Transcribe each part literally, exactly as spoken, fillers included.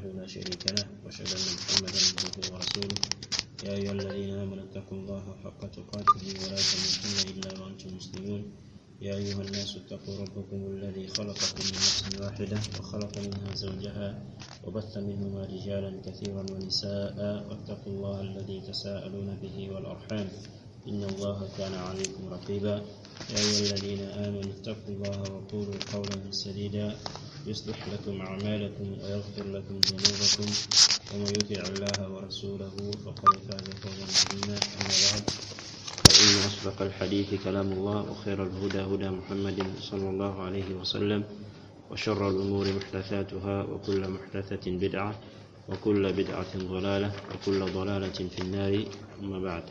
لا شريك له، وأشهد أن محمدا عبده ورسوله. يا أيها الذين آمنوا اتقوا الله حق تقاته ولا تموتن إلا وأنتم مسلمون. يا أيها الناس اتقوا ربكم الذي خلقكم من نفس واحدة وخلق منها زوجها وبث منهما رجالا كثيرا ونساء، واتقوا الله الذي تساءلون به والأرحام، إن الله كان عليكم رقيبا. يا أيها الذين آمنوا اتقوا الله وقولوا قولا سديدا، يصلح لكم أعمالكم ويغفر لكم ذنوبكم، ومن يطع الله ورسوله فقد فاز فوزا عظيما. أما بعد، فإن أصدق الحديث كلام الله، وخير الهدى هدى محمد صلى الله عليه وسلم، وشر الأمور محدثاتها، وكل محدثة بدعة، وكل بدعة ضلالة، وكل ضلالة في النار. أما بعد.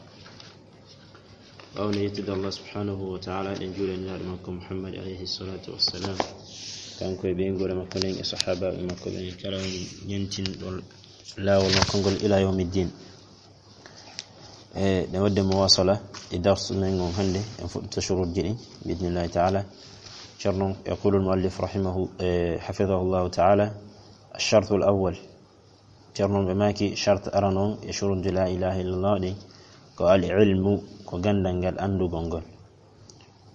Ɓaawo no yettude Allah subhanahu wa ta'ala, ɗen juulani Nulaaɗo makko Muhammad alayhi salatu wassalam, kanko e ɓeynguure makko nden e sahaabaaɓe makko ɓen kala on ñentinɗo laawol makko ngol ila yawmi ddin. E ɗen waɗde muwasala e darsu men ngon hannde, en fuɗɗita shuruutji ɗin, bi idnillahi ta'ala. Ceerno, yaqulu al-muallif rahimahu, eh, hafidahullahu ta'ala, الشرط الأول. Ceerno, ɓe maaki, shart arano e shuruutji la ilaha illallah ɗin ko al ilmu, ko ganndal ngal, anndugol ngol.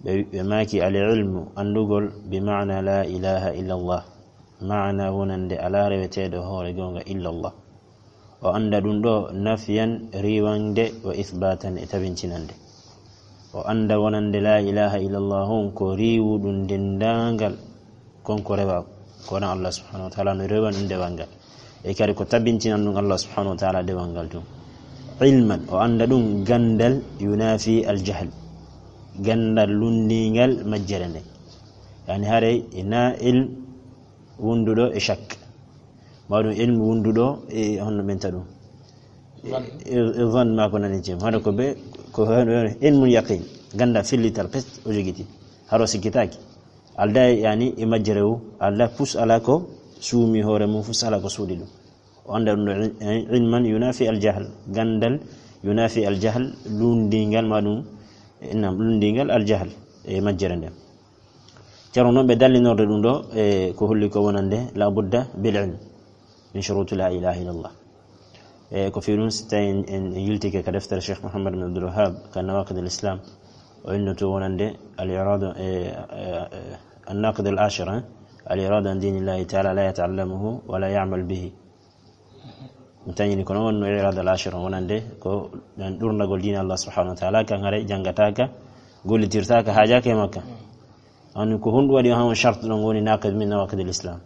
Ɓe, ɓe maaki, al ilmu, anndugol, bi maana la ilaha illallah, maana wonande alaa reweteeɗo hoore goonga illallah. O annda ɗum ɗo nafyan, riiwande, wa ithbatan, e tabintinande. O annda wonande la ilaha illallah on ko riiwuɗum denndaangal kon ko rewaa, ko wonaa Allah subhanahu wa ta'ala no rewa ɗum dewal ngal. E kadi ko tabintinan ɗum Allah subhanahu wa ta'ala dewal ngal tun. Ilman, o annda ɗum ganndal, yunafi al jahl, ganndal lunndingal majjere nden. Yani haray ina ilm wonduɗo e shak, ma ɗum ilmu wonduɗo e honno ɓenta ɗum. Zan. E, e zan ma ko nani jim. Hano ko be, ko hano ilmul yaqin. Ganndal fillital pes o jogiti. Haro sikkitaaki. Alda yani e majjere o, alda pus ala ko suumi hoore mum, fus ala ko suuɗi ɗum. O annda ɗum ɗo il-, ilman yunafi al jahl, ganndal yunafi al jahl, lunndingal ma ɗum, e, nam, lunndingal al jahl e majjere nden. Ceerno noon ɓe dallinorde ɗum ɗo, e, ko holli ko wonande la budda bil ilm min shuruti la ilaha illallah. E, ko fii ɗum, si tawi en, en, en yiltike ka deftere Cheikh Mouhammad bin Abdul Wahhab, ka Nawaqid al Islam, o innoto wonande al irada, e, e, e, an naqid al ashir, eh, al irada an dinillahi ta'ala la yata'allamuhu wa la ya'mal bihi. Mi tañini kono wonno irada al ashir, wonande ko ɗan ɗurnagol diina Allah subhanahu wa ta'ala, kan haray janngataka, gollitirtaka, haajaaka e makka. Ani ko honɗum waɗi han on shart ɗon woni naqid min nawaqid al islam?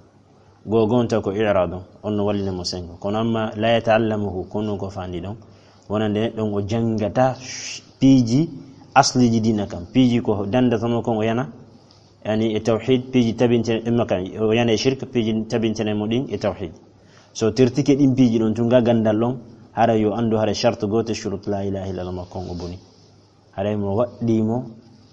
Goo gonta ko i'rad on, on no wallina mo sengo. Kono amma la yata'allamuhu, kono ko fandi ɗon, wonande neɗɗo on o janngata piiji asliji diina kan, piiji ko dandata mo kon o yana, yani e tawhid, piiji tabintene ɗin makka, o yana e shirk, piiji tabintene mo ɗin e tawhid. So tertike ɗin piiji ɗon tun ga ganndal ɗon, hara yo anndu hara shart gooto shurut la ilaha illallah makko on o boni. Haray mo waɗɗii mo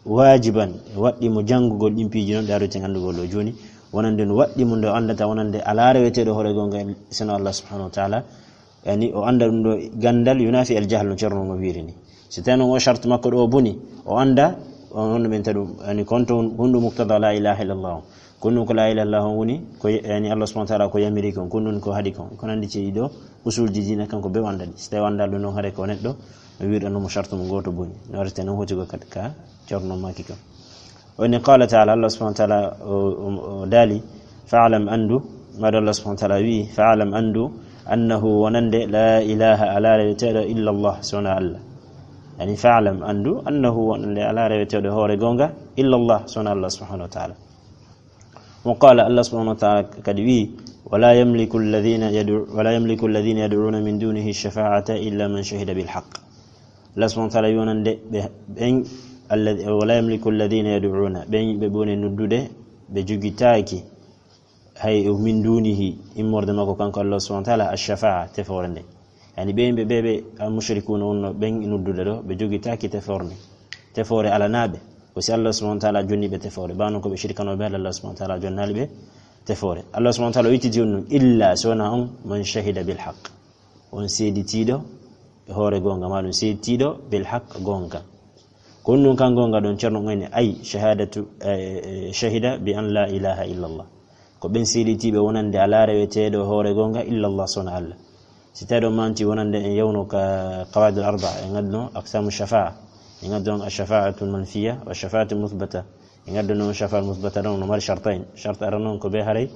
waajiban, waɗɗii mo janngugol ɗin piiji non, ɗe aruten anndugol ɗo jooni, wonande no waɗɗii mo nde o anndata wonande alaa reweteeɗo hoore goonga sino Allah subhanahu wa ta'ala. Yani o annda ɗum ɗo ganndal yunafi al jahl no Ceerno no wiiri ni. Si tawi non o shart makko ɗo o boni, o annda, on honno ɓenta ɗum, yani kon to hundu muqtada la ilaha illallah on. Ko ɗum ko la ilaha illallah on woni, ko yani Allah subhanahu wa ta'ala ko yamiri kon, ko ɗum ko haɗi kon. Ko nandi ci ɗo usulji diina kanko be wandani. Si tawi wanda ɗum non hare ko neɗɗo, mi wiɗa no mo shartu mo goto boni. No arete non hoti ko ka, ka Ceerno maki kon. O ni qala ta'ala, Allah subhanahu wa ta'ala o, o, o dali, fa'lam andu, maɗo Allah subhanahu wa ta'ala wi, fa'lam andu, annahu wonande la ilaha ala reweteɗo illa Allah, sona Allah. Yani fa'lam andu, annahu wonande ala reweteɗo hoore gonga, illa Allah, sona Allah subhanahu wa ta'ala. Wa qala, Allah subhanahu wa ta'ala kadi wi, wala yamliku alladhina yad'u, wala yamliku alladhina yad'una min dunihi shafa'ata illa man shahida bil haqq. Allah subhanahu wa ta'ala wi wonande ɓe, ɓen, alladhi-, wala yamliku alladhina yad'una, ɓen ɓe ɓe woni noddude, ɓe jogitaaki, hay o min dunihi, immorde makko kanko Allah subhanahu wa ta'ala, ash-shafa'a, tefoore nde. Yani ɓe yimɓe ɓe, ɓe al-mushrikuna wonno ɓen noddude ɗo, ɓe jogitaaki tefoore nde. Tefoore alanaaɓe, ko si Allah subhanahu wa ta'ala jonni ɓe tefoore, bano ko ɓe shirkano ɓe, Allah subhanahu wa ta'ala jonnaali ɓe tefoore. Allah subhanahu wa ta'ala o ittiti on ɗum, illa so wona on, man shahida bil haqq. On seeditiiɗo e hoore goonga, maa ɗum seeditiiɗo bil haqq, goonga. Ko ɗum kan goonga ɗon, Ceerno on ene ay shahadatu, eh, eh, shahida bi an la ilaha illallah. Ko ɓen seeditiiɓe wonande alaa reweteeɗo hoore goonga illa Allah, sona Allah. Si tawi ɗo manti wonande en yewno ka qawaidul arba, en ngadduno aqsamu shafa'a, en ngadduno ash-shafa'atul manfiya wa shafa'atul muthbata. En ngadduno shafa'a muthbata ɗon no mari shartain. Shart ara non ko ɓe haray,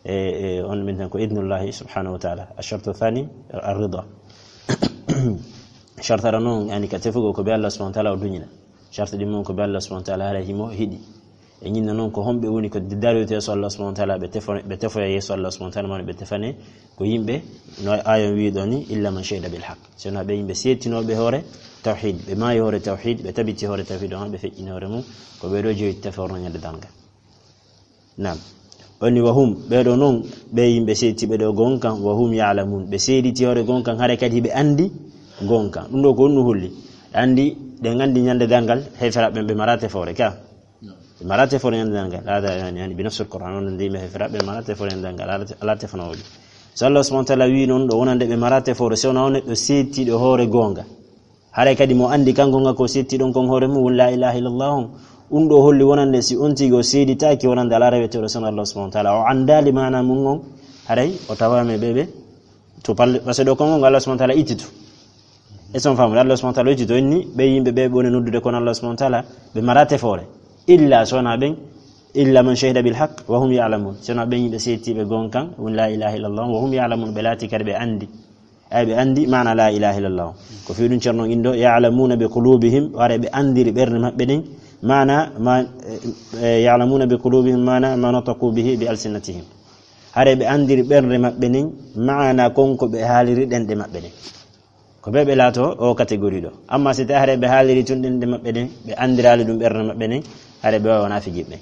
e, e, on min tan ko idnullahi subhanahu wa ta'ala. Ash-shartu thani ar-rida. Shart ara non, yani, ka tefugol ko ɓe Allah subhanahu wa ta'ala o duñina. Shart ɗin mon ko ɓe Allah subhanahu wa ta'ala haray himo hiɗi. E ñinna non ko homɓe woni ko daroyte so Allah subhanahu wa ta'ala, ɓe tefo-, ɓe tefoya yeeso Allah subhanahu wa ta'ala, mano ɓe tefane ko yimɓe, no ayon wiiɗo ni, illa man shahida bil haqq. Sona ɓe yimɓe seedtinooɓe hoore tawhid, ɓe maayi hoore tawhid, ɓe tabiti hoore tawhid, on ɓe feƴƴini hoore mum, ko ɓe ɗo joyi teforno ñande darngal. Naam. Oni wa hum, ɓe ɗo non, ɓe yimɓe seedtiiɓe ɗo gonkan, wa hum ya'lamun, ɓe seediti hoore gonkan, haray kadi ɓe andi gonkan. Ɗum ɗo ko honno holli? Andi, ɗen andi ñande darngal, heeferaɓe ɓen ɓe mara tefoore ka. Ɓe mara tefoore ñande darngal. Hada yani, yani, bi nafsul Qur'an, on ndi ɓe heeferaɓe ɓe mara tefoore ñande darngal. Ala te-, ala tefanoowo ɓe. So Allah subhanahu wa ta'ala wi non ɗo wonande ɓe mara tefoore, so wona on neɗɗo seedtiiɗo hoore goonga. Haray kadi mo andi kanko nga ko seedtiiɗon kon hoore mum woni la ilaha illallah on. Ɗum ɗo holli wonande si on tigi o seeditaaki wonande alaa reweteeɗo so wona Allah subhanahu wa ta'ala. O andaali maana mum on, haray o tawaama e ɓe ɓe to palle, parce que ɗo konngol ngal Allah subhanahu wa ta'ala ittito. E son faamude, Allah subhanahu wa ta'ala ittito, inni ɓe yimɓe ɓe ɓe woni noddude kono Allah subhanahu wa ta'ala, ɓe mara tefoore. Illa so wona ɓen, illa man shahida bil haqq wa hum ya'lamun. So wona ɓen yimɓe seedtiiɓe gonkan, won la ilaha illallah, wa hum ya'lamun, ɓe laati kadi ɓe andi. Ay, ɓe andi maana la ilaha illallah. Ko fii ɗum Ceerno indo, ya'lamuna bi qulubihim, wara ɓe andiri ɓernde maɓɓe ɗen, maana ma, eh, eh, ya'lamuna bi qulubihim maana ma nataqu bihi bi alsinatihim. Hare ɓe andiri ɓernde maɓɓe nden, maana kon ko ɓe haaliri ɗenɗe maɓɓe ɗen. Ko ɓe ɓe laato o catégorie ɗo. Amma si tawi hare ɓe haaliri tun ɗenɗe maɓɓe ɗen, ɓe andiraali ɗum ɓernde maɓɓe nden, hare ɓe wawa wona fijiɓe.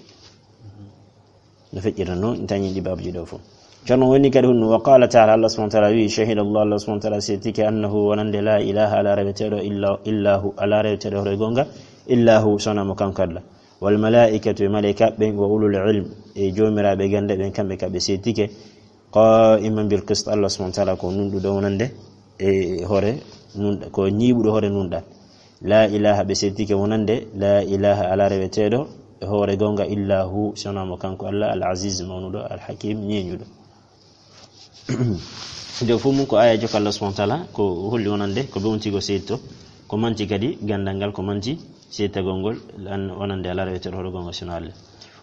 No feƴƴirta noon, en tañi ɗi baabji ɗo fof. Ceerno woni kadi hunno, wa qala ta'ala, Allah subhanahu wa ta'ala wi, shahida Allah, Allah subhanahu wa ta'ala seedtike, annahu wonande la ilaha ala reweteeɗo illa, illa hu, ala reweteeɗo hoto e goonga, illa hu, sona mo kanko Allah. Wal malaikatu e malaikaaɓe ɓen, wa ulul ilm e joomiraaɓe gannde ɓen, kamɓe ka ɓe seedtike, qa'iman bil qist, Allah subhanahu wa ta'ala ko nunɗuɗo wonande e hoore nunɗa, ko ñiiɓuɗo hoore nunɗal. La ilaha, ɓe seedtike wonande la ilaha, ala reweteeɗo e hoore goonga illa hu, sona mo kanko Allah, al aziz mawnuɗo, al hakim ñeeñuɗo. Nde fof mum ko aya jokka Allah subhanahu wa ta'ala, ko holli wonande ko ɓe on tigi o seedto, ko manti kadi gandal ngal, ko manti seedtagol ngol, lan wonande ala reweteeɗo hoore goonga sona Allah.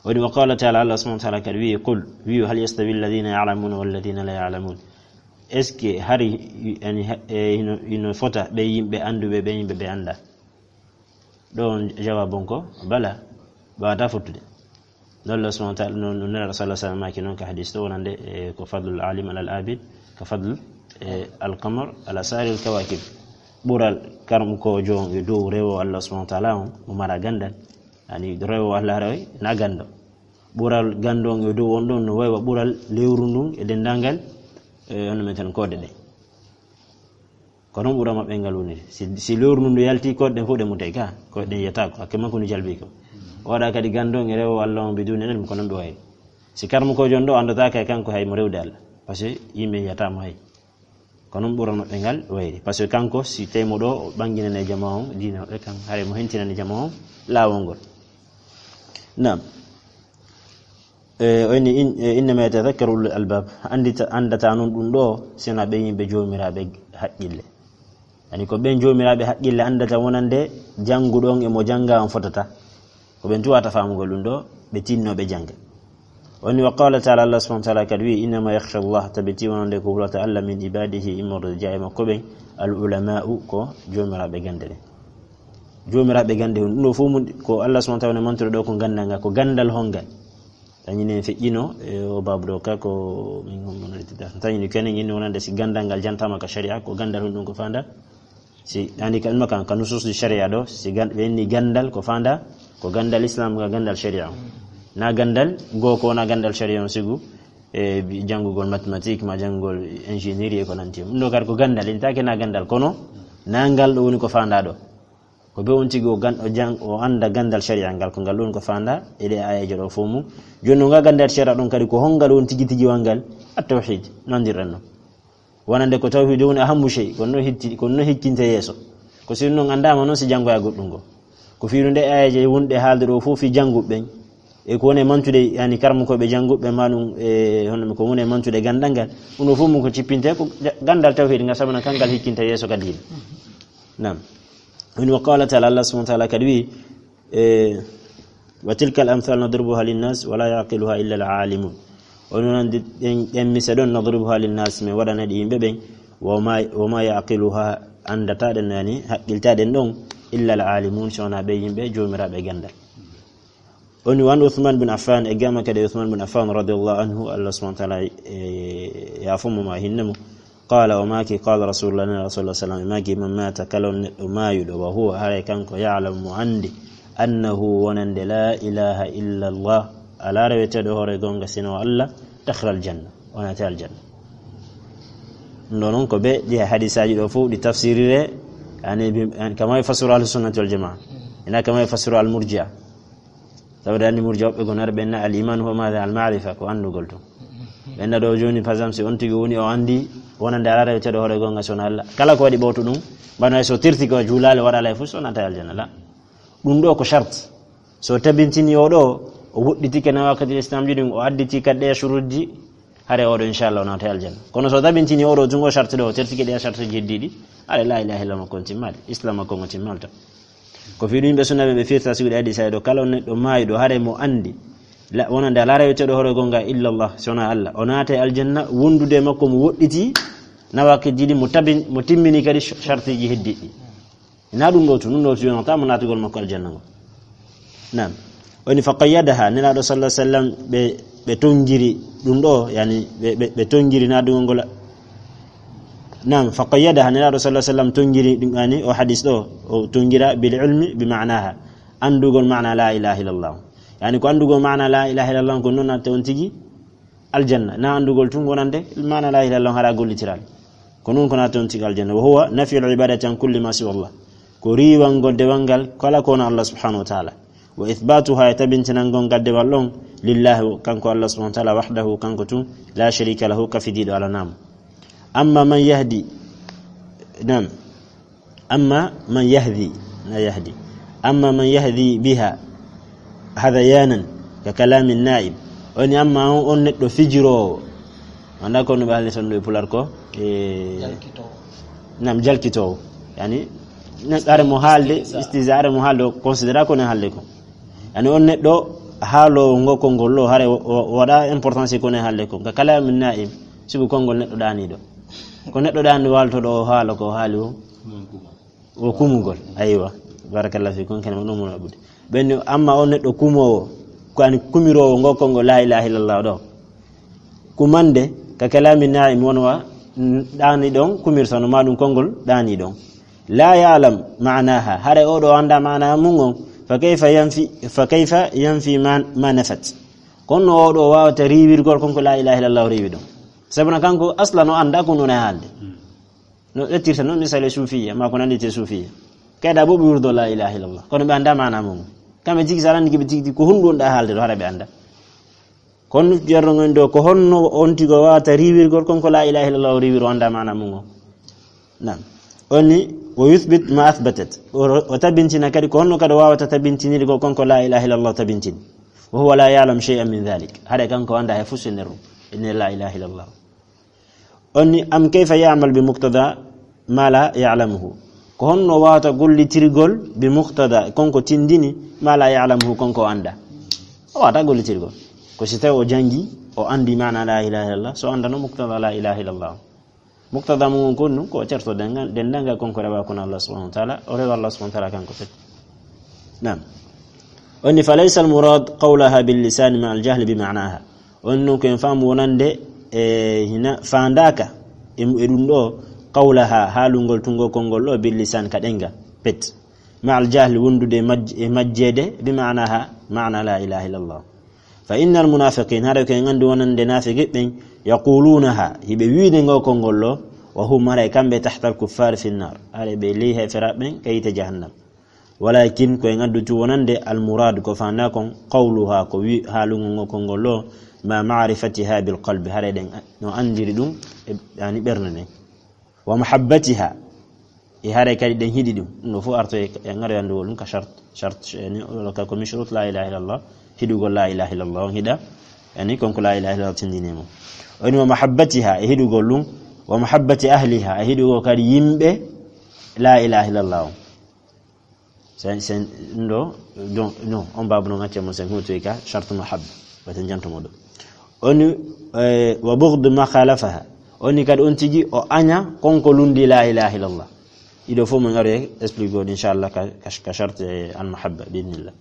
Woni wa qala ta'ala, Allah subhanahu wa ta'ala kadi wi, qul, wi, hal yastawi alladhina ya'lamuna walladhina la ya'lamun. Est-ce que hari, yani, ha-, e, hino, hino fota ɓe yimɓe annduɓe, ɓe yimɓe ɓe annda? Ɗo on jawabon ko bala, ɓe wata fottude. Non Allah subhanahu wa ta'ala, non, non Nelaɗo sallallahu alaihi wasallam maaki non ka hadis to wonande, e, ko fadlul alim alal abid, ka fadl, e, al qamar ala sa'iril kawakib. Ɓural karmukoojo on e dow rewo Allah subhanahu wa ta'ala on, mo mara gandal. Yani rewo Allah rewi na gando. Ɓural gando on e dow on ɗon no wayi wa ɓural lewru ndun e dendangal, e, hono meten koode ɗe. Ko non ɓura maɓɓe ngal woniri. Si, si lewru ndun ndu yalti, koɗe ɗen fof ɗe mutay ka, koɗe ɗen yiyata ko, hakke makko ndu jalbi ko. O waɗa kadi gando on e rewo Allah on biduni ilm, ko non ɓe wayri. Si karmukoojo on ɗo anndata kay kanko hay mo rewde Allah. Parce que yimɓe yiyata mo hay. Ko non ɓura maɓɓe ngal wayri. Parce que kanko si tawi mo ɗo, o ɓanginane jama on, diina maɓɓe kan, haray mo hentinani jama on, laawol ngol. Naam. E, o inni, in-, e, innama yatadhakkaru ulul albab. Andita, andata non ɗum ɗo, sina ɓe yimɓe joomiraaɓe haqqille. Yani ko ɓen joomiraaɓe haqqille andata wonande jannguɗo on e mo jannga on fotata. Ko ɓen tuwata faamugol ɗum ɗo, ɓe tinno ɓe jannga. O inni wa qala ta'ala, Allah subhanahu wa ta'ala kadi wi, innama yakhsha Allah, tabiti wonande ko hulata Allah min ibadihi, immorde jaa e makko ɓen, al ulama'u, ko joomiraaɓe gande ɗen. Joomiraaɓe gande hun. Ɗum ɗo fof mum ko Allah subhanahu wa ta'ala ne mantoro ɗo ko gandal ngal, ko gandal hongal. Tañi ne feƴƴino, e, o babu ɗo ka ko min hommono rettita. Tañi ni kenen inni wonande si gandal ngal jantama ka sharia, ko gandal hun ɗum ko fanda. Si ani ka ɗum kan, ka nusus di sharia ɗo, si gan-, ɓe inni gandal ko fanda, ko gandal Islam ga gandal sharia. Na gandal go ko na gandal sharia on sigu, e, bi-, janngugol mathématique ma janngugol ingénierie e ko nanti. Ɗum ɗo kadi ko gandal, intake na gandal, kono na ngal ɗo woni ko fanda ɗo. Ko be on tigi o gan-, o jang-, o anda gandal sharia ngal, ko ngal ɗon ko fanda e ɗe ayaji ɗo fof mum. Joni no ngal gandal sharia ɗon kadi ko hongal on tigi tigi wangal? At-tawhid, nandirɗen no. Wonande ko tawhid woni ahammu shay, ko no hitti, ko no hikkinte yeeso. Ko si non andama non si jangoya goɗɗum go. Ko fiiru nde ayaji wonɗe haalde ɗo fof fi janguɓe ɓen. E ko woni e mantude, yani, karmukooɓe jannguɓe ma ɗum, e hono ko woni e mantude ganndal ngal, ɗum ɗo fof mum ko cippinte ko ja-, ganndal tawhiid ngal, sabu no kangal hikkinta yeeso ka diine. Naam. Woni wa qala taala, Allah subhanahu wa taala kadi wi, e, "Wa tilka al amthal nadribuha linnas wa la yaqiluha illa al alimun." O noon ɗen, ɗen mise ɗon, "Nadribuha linnas", min waɗana ɗi yimɓe ɓen, "wa ma, wa ma yaqiluha", anndata ɗen, yani, haqqilta ɗen ɗon, "illa al alimun", so wonaa ɓe yimɓe joomiraaɓe ganndal. Woni wan Uthman bin Affan, e gama kadi Uthman bin Affan radiyallahu anhu, Allah subhanahu wa taala, e, yaafo mo ma hinne mo. Qala, o maaki, qala Rasulullah, Nela Rasulullah sallam, e maaki, "Man mata, kala on neɗɗo maayuɗo, wa huwa, haray kanko, ya'lamu, mo anndi, annahu, wonande, la ilaha illa Allah, alaa reweteeɗo hoore goonga sino Allah, dakhala aljanna, o naati aljanna." Ɗum ɗo noon ko ɓe ɗi hadisaaji ɗo fof ɗi tafsirire, yani, bi-, yani, kama e fasuru ahlu sunnati wal jamaa, ina kama e fasuru al murjia. Sabu anndi murjia woɓɓe gonare ɓenna al iman huwa maada al maarifa, ko anndugol tun. Ɓenna ɗo jooni, par exemple, si on tigi woni o anndi wonande alaa reweteeɗo hoore goonga sona Allah. Kala ko waɗi ɓowto ɗum, mbano hay so terti ko juulaale waɗa alay fof so naata aljanna la. Ɗum ɗo ko charte. So tabintini o ɗo, o woɗɗitike nawaqidil islam ji ɗum, o additi kadi ɗe shurutji, hare oɗo, inchallah, o naata aljanna. Kono so tabintini oɗo tun o charte ɗo, o tertike ɗe charte ji heddiɗi, hare la ilaha illallah makko on timmaali, islam makko on timmaali tan. Ko fii ɗum yimɓe sunna ɓe, ɓe firta sigude hadisa ɗo, kala on neɗɗo maayuɗo, hare mo anndi, la, wonande alaa reweteeɗo hoore goonga illallah, sona Allah, o naata aljanna, wondude e makko mo woɗɗiti nawaqidji ɗi, mo tabin-, mo timmini kadi sh-, shartiji heddiɗi. Na ɗum ɗo tun, ɗum ɗo tun yonata mo naatugol makko aljanna ngol. Naam. Woni fa qayyadaha, Nelaaɗo sallallahu alaihi wasallam, ɓe, ɓe tongiri ɗum ɗo, yani, ɓe, ɓe, ɓe tongiri naatugol ngol. Naam, fa qayyadaha, Nelaaɗo sallallahu alaihi wasallam tongiri ɗum, yani, o hadis ɗo, o tongira bil ilmi bi ma'naha. Anndugol maana la ilaha illallah. Yani, ko anndugol maana la ilaha illallah, ko noon natta on tigi aljanna. Na anndugol tun wonande maana la ilaha illallah hara gollitiraali. Ko noon ko natta on tigi aljanna. Wa huwa nafyul ibadati an kulli ma siwa Allah. Ko riiwangol dewal ngal kala ko wona Allah subhanahu wa taala. Wa ithbatuha, e tabintinangol ngal dewal ɗon, lillahi, kanko Allah subhanahu wa taala, wahdahu, kanko tun, la sharika lahu, kafidiiɗo alaa mo. Amma man yahdi, naam, amma man yahdi, na yahdi. Amma man yahdi biha hadayanan ka kalamin na'im. Woni amma on, on neɗɗo fijiroowo. Annda ko no ɓe haalni ton ɗo e pular ko, e, jalkitoowo. Naam, jalkitoowo. Yani, ne-, are mo haalde, istihza. Istihza, are mo haalde, o considéra ko ne haalde ko. Yani, on neɗɗo haaloowo ngo konngol ɗo, hare o, o, o waɗa importance ko ne haalde ko. Ka kalamin na'im, sibu konngol neɗɗo ɗaaniiɗo. Ko neɗɗo ɗaaniiɗo waaltoɗo o haala ko haali o. O kumugol. Aywa. Barakallahu fikum, kene mo ɗum mo abude. Ɓen, amma on neɗɗo kumoowo, ko ani kumiroowo ngo konngol la ilaha illallah ɗo. Kumande, ka kalami na'im won wa, ɗaani ɗon, kumirtano ma ɗum konngol ɗaani ɗon. La ya'lam ma'naha, hare oɗo annda maana mum on, fa kayfa yanfi, fa kayfa yanfi ma, ma nafat. Kono oɗo wawata riiwirgol konko la ilaha illallah o riiwi ɗon. Sabuna kanko aslan o annda ko nuna haalde. No ƴettirta noon misal e suufiya, maa ko nannditee suufiya. Kayɗa bo ɓe wirdo la ilaha illallah. Kono ɓe annda maana mum. Kamɓe tigi so aɗa anndi ɓe tigi tigi ko honɗum wonɗa haalde ɗo, hara ɓe annda. Kono ceerno ngon ɗo, ko honno on tigo wawata riiwirgol kon ko la ilaha illallah o riiwiri o annda maana mum o? Naam. O ni, wa yuthbit ma athbatat. O, o tabintina kadi ko honno kadi o wawata tabintinirgol kon ko la ilaha illallah tabintini. Wa huwa la ya'lam shay'an min dhalik. Hara kanko annda hay fus e nder ɗum. E nder la ilaha illallah. On ni, am kayfa ya'mal bi muqtada ma la ya'lamuhu? Ko honno wawata gollitirgol bi muqtada, konko tindini, ma la ya'lamuhu, konko o annda? O wawata gollitirgol. Ko si tawi o jangi, o anndi maana la ilaha illallah, so anndano muqtada la ilaha illallah. Muqtada mum on kon ɗum, ko o certo denngal, denndangal konko rewa kono Allah subhanahu wa ta'ala, o rewa Allah subhanahu wa ta'ala kanko fek. Naam. On ni, fa laysa al murad qawlaha bil lisani ma al jahli bi ma'naha. On non ko en faamu wonande, e, hina faandaaka e, e ɗum ɗo, qawlaha, haalungol tun ngo konngol ɗo, bil lisan, ka ɗenngal, pet. Ma al jahli, wondude e majj-, e majjeede, bi ma'naha, maana la ilaha illallah. Fa inna al munafiqin, hara ko en anndi wonande naafiqi ɓen, yaqulunaha, hiɓe wiide ngo konngol ɗo, wa hum, haray kamɓe, tahta al kuffar fi nnar, haray ɓe ley heeferaaɓe ɓen ka yiite jahannam. Walakin ko en addutu wonande al murad ko faanda kon qawluha ko wi haalugol ngo konngol ɗo ma ma'rifatiha bil qalbi, hare ɗen no anndiri ɗum e, yani, ɓernde nden. Wa mahabbatiha, E haray kadi ɗen hiɗi ɗum. Ɗum ɗo fof arto e, e ngaroyandugol ɗum ka shart, shart, yani, wala ka ko min shurut la ilaha illallah, hiɗugol la ilaha illallah, on hiɗa, yani, kon ko la ilaha illallah tindini mo. O ni wa mahabbatiha, e hiɗugol ɗum, wa mahabbati ahliha, e hiɗugol kadi yimɓe la ilaha illallah on. Sen, sen, ɗum ɗo, donc, non, on babu non acce mo sen hutoy ka, shart mahabba, wata janto mo ɗo. O ni, eh, wa bughd ma khalafaha. O ni kadi on tigi o aña kon ko lundi la ilaha illallah. Iɗo fof mo ngaro e explique goɗo, inchallah, ka, ka, ka shart, eh, al mahabba, bi idhnillah.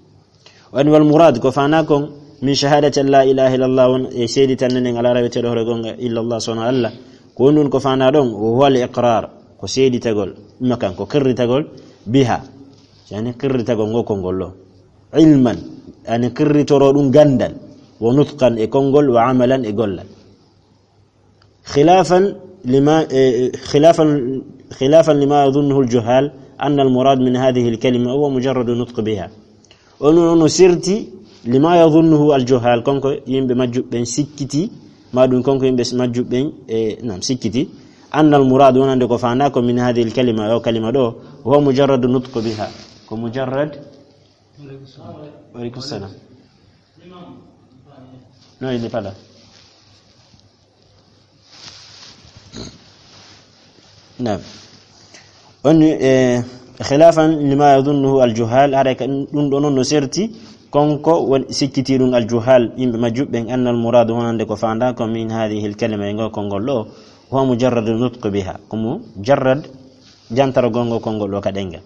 O ni wal murad, ko fana kon, min shahadati an la ilaha illallah on, e seedi tan nen ala raweteɗo hoore gonga illallah sono Allah. Ko on ɗum ko fana ɗon, o huwa al iqrar, ko seeditagol, imma kan, ko qirritagol, biha. Yani qirritagol ngo konngol ɗo. Ilman, yani qirritoro ɗum gandal, wa nutqan e konngol, wa amalan e gollal. Khilafan lima, eh, khilafan, khilafan lima yadhunnuhu al-juhal anna al-murad min hadhihi al-kalima huwa mujarradu nutq biha. Ono, ono sirti lima yadhunnuhu al-juhal, konko yimɓe majjuɓe ɓen sikkiti, ma ɗum konko yimɓe majjuɓe ɓen, eh, nam sikkiti, anna al-murad wonande ko fanda ko min hadhihi al-kalima, o kalima ɗo, huwa mujarradu nutq biha. Ko mujarrad. Wa alaikum salam. Non, il n'est pas là. Naam. On, eh, khilafan lima yadhunnuhu al-juhal, haray ka ɗum ɗo non no serti, konko won sikkiti ɗum al-juhal, yimɓe majjuɓe ɓen, anna al-murad wonande ko fanda ko min hadhihi al-kalima e ngo konngol ɗo, huwa mujarradu nutq biha, ko mujarrad jantaragol ngo konngol ɗo ka ɗengal.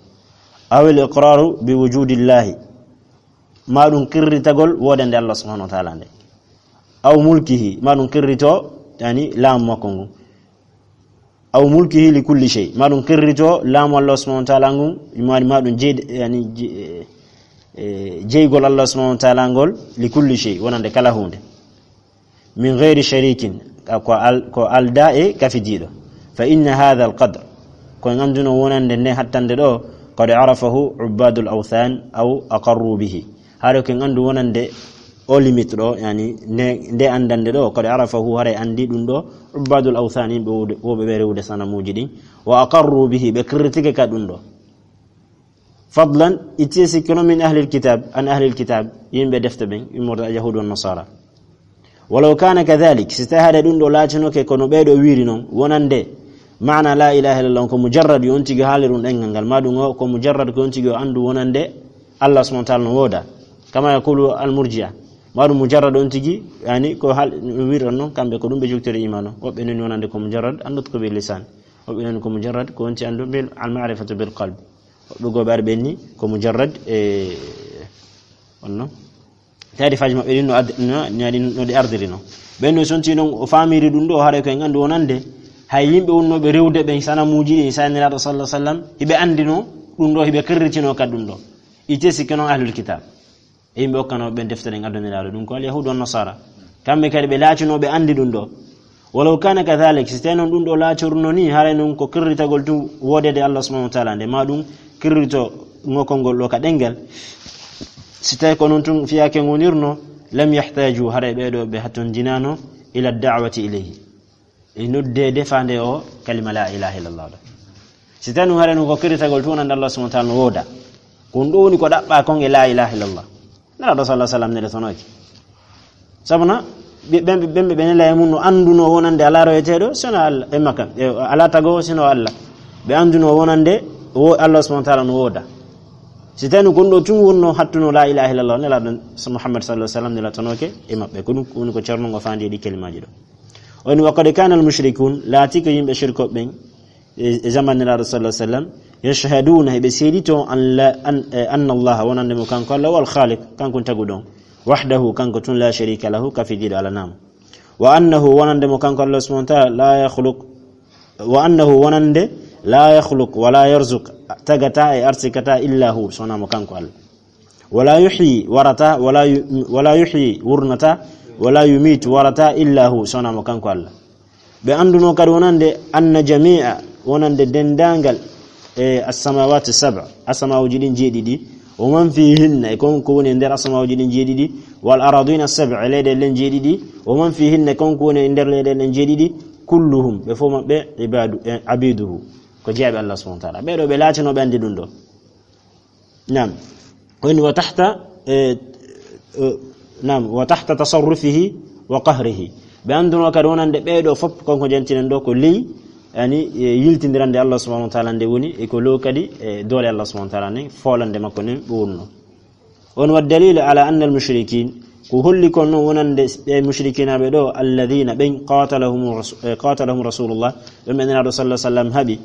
Aw al-iqraru bi wujudillahi, ma ɗum qirritagol wodande Allah subhanahu wa ta'ala nde. Aw mulkihi, ma ɗum qirrito, yani, laamu makko ngu. Aw mulkihi li kulli shay, ma ɗum qirrito laamu Allah subhanahu wa ta'ala ngu, ma, ma ɗum jeyde, yani, je-, eh, eh, jeygol Allah subhanahu wa ta'ala ngol li kulli shay, wonande kala hunde. Min ghayri sharikin, ka ko al-, ko alda e kafidiiɗo. Fa inna hadha al-qadr, ko en annduno wonande nde hattande ɗo, qad arafahu ubbadul awthan aw aqarru bihi. Haɗo ko en anndu wonande o limite ɗo, yani nde, nde anndande ɗo, qad arafahu, haray anndi ɗum ɗo, ubbadul awthan, yimɓe wuude, woɓe ɓe rewude sanamuuji ɗin, wa aqarru bihi, ɓe qirritike ka ɗum ɗo. Fadlan, itti e sikke no min ahlil kitab, an ahlil kitab, yimɓe defte ɓen, immorde al yahudu wan nasara. Walaw kana kadhalik, si tawi haɗa ɗum ɗo laatinoke kono ɓeeɗo wiiri non, wonande maana la ilaha illallah on ko mujarrad yo on tigi haali ɗum ɗengal ngal, ma ɗum o ko mujarrad ko on tigi o anndu wonande Allah subhanahu wa ta'ala no wooda. Kama yaqulu al murji'a. Ma ɗum mujarrad on tigi, yani ko hal, wiiri on non, kamɓe ko ɗum ɓe jogtori iman o. Woɓɓe non wonande ko mujarrad an nutqu bil lisan. Woɓɓe non ko mujarrad ko on ti anndu bil al ma'rifatu bil qalb. Woɓɓe goo ɓe ari ɓen ni ko mujarrad e on non. Taarifaaji maɓɓe ɗin no ad-, no, no, no ɗi ardiri no. Ɓen no sonti non o faamiri ɗum ɗo, haray ko en anndu wonande hay yimɓe wonnooɓe rewde ɓen sanamuuji ɗin, sa Nelaaɗo sallallahu alaihi wasallam, hiɓe anndino ɗum ɗo, hiɓe qirritino ka ɗum ɗo. Itte sikke non ahlul kitab. E yimɓe okkanooɓe ɓen deftere en addaniraaɗo ɗum ko al yahudu wan nasara. Kamɓe kadi ɓe laatinooɓe anndi ɗum ɗo. Walaw kana kadhalik, si tawi non ɗum ɗo laatorno ni, haray non ko qirritagol tun woodede Allah subhanahu wa ta'ala nde, ma ɗum qirrito ngokol ngol ɗo ka ɗengal. Si tawi ko non tun fiyaake ngonirno, lam yahtaju, haray ɓeeɗo ɓe hattondinaano ila da'wati ilayhi. E noddeede faande o kalima la ilaha illallah ɗo. Si tawi non haray non ko qirritagol tun wonande Allah subhanahu wa ta'ala no wooda. Ko ɗum ɗo woni ko ɗaɓɓa kon e la ilaha illallah. Nelaaɗo sallallahu alaihi wasallam nele tonoki. Sabuna, ɓe, ɓen, ɓen, ɓe, ɓe nela e mum no annduno wonande alaa royeteeɗo, sino Allah, e makka, e, alaa tagowo, sino Allah. Ɓe annduno wonande wo Allah subhanahu wa ta'ala no wooda. Si tawi ko ɗum ɗo tun wonno hattuno la ilaha illallah, Nelaaɗo so Muhammad sallallahu alaihi wasallam nela tonoke e maɓɓe. Ko ɗum woni ko ceerno ngo faandi e ɗi kalimaaji ɗo. O ni, wa qad kana al mushrikun, laati ko yimɓe shirko ɓen, e, e zaman Nelaaɗo sallallahu alaihi wasallam, yashhaduna, heɓe seedito an la, an, eh, anna Allah, wonande mo kanko Allah, wal khaliq, kanko taguɗo on, wahdahu, kanko tun, la sharika lahu, kafidiiɗo alaa mo. Wa annahu, wonande mo kanko Allah subhanahu wa ta'ala, la yakhluq, wa annahu, wonande, la yakhluq, wa la yarzuq, tagata e arsikata, illa hu, sona mo kanko Allah. Wala yuhyi, warata, wala yu-, wala yuhyi, wurnata, wala yumitu, warata, illa hu, sona mo kanko Allah. Ɓe annduno kadi wonande anna jami'a, wonande denndaangal e as-samawati sab', asamawuji ɗin jeeɗiɗi, wa man fihinna, e kon ko woni e nder asamawuji ɗin jeeɗiɗi, wal aradina sab', e leyɗeele ɗen jeeɗiɗi, wa man fihinna, e kon ko woni e nder leyɗeele ɗen jeeɗiɗi, kulluhum, ɓe fof maɓɓe, ibadu, e abiduhu, Ko jeyaɓe Allah subhanahu wa ta'ala. Ɓeeɗo ɓe laatinooɓe anndi ɗum ɗo. Naam. Woni wa tahta, eh, eh, naam, wa tahta tasarrufihi wa qahrihi. Ɓe annduno kadi wonande ɓeeɗo fof, kon ko jantinen ɗo ko ley, yani, eh, yiltindirande Allah subhanahu wa ta'ala nde woni, e ko lo kadi, eh, doole Allah subhanahu wa ta'ala nden, foolande makko nden ɓe wonno. On wa dalil ala anna al mushrikin, ko holli kon non wonande ɓe mushrikinaɓe ɗo, alladhina ɓen qatalahum rasu-, eh, qatalahum rasulullah, ɓen ɓe Nelaaɗo sallallahu alaihi wasallam haɓi.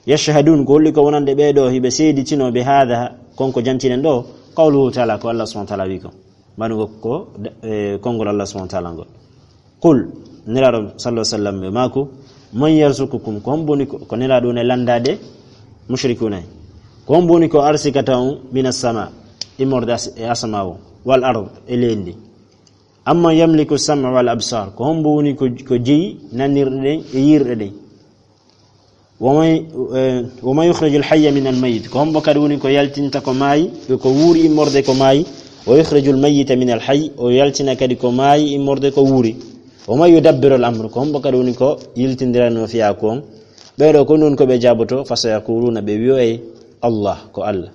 Yashhadun, ko holli ko wonande ɓeeɗo hiɓe seeditino bi hadha, kon ko jantinen ɗo, qawluhu ta'ala, ko Allah subhanahu wa ta'ala wi kon. Manu ko, ko, eh, konngol Allah subhanahu wa ta'ala ngol. Qul, Nelaaɗo sallallahu alaihi wasallam ɓe maaku, man yarzuqukum, ko hombo woni ko, ko Nelaaɗo ne landaade mushrikuna en. Ko hombo woni ko arsikata on minas sama, immorde as-, e asama o, wal ard, e leydi. Amman yamliku sam'a wal absar, ko hombo woni ko, ko jeyi nanirɗe ɗen e yiirɗe ɗen. Wa man, eh, wa man yukhrijul hayya minal mayyit, ko hombo kadi woni ko yaltinta ko maayi, ko wuuri immorde ko maayi, wa yukhrijul mayyita minal hayy, o yaltina kadi ko maayi immorde ko wuuri. Wa man yudabbirul amr, ko hombo kadi woni ko yiltindirano fiyaaku on. Ɓeeɗo ko non ko ɓe jaaboto, fa sayaquluna, ɓe wi'oyay, Allah, ko Allah.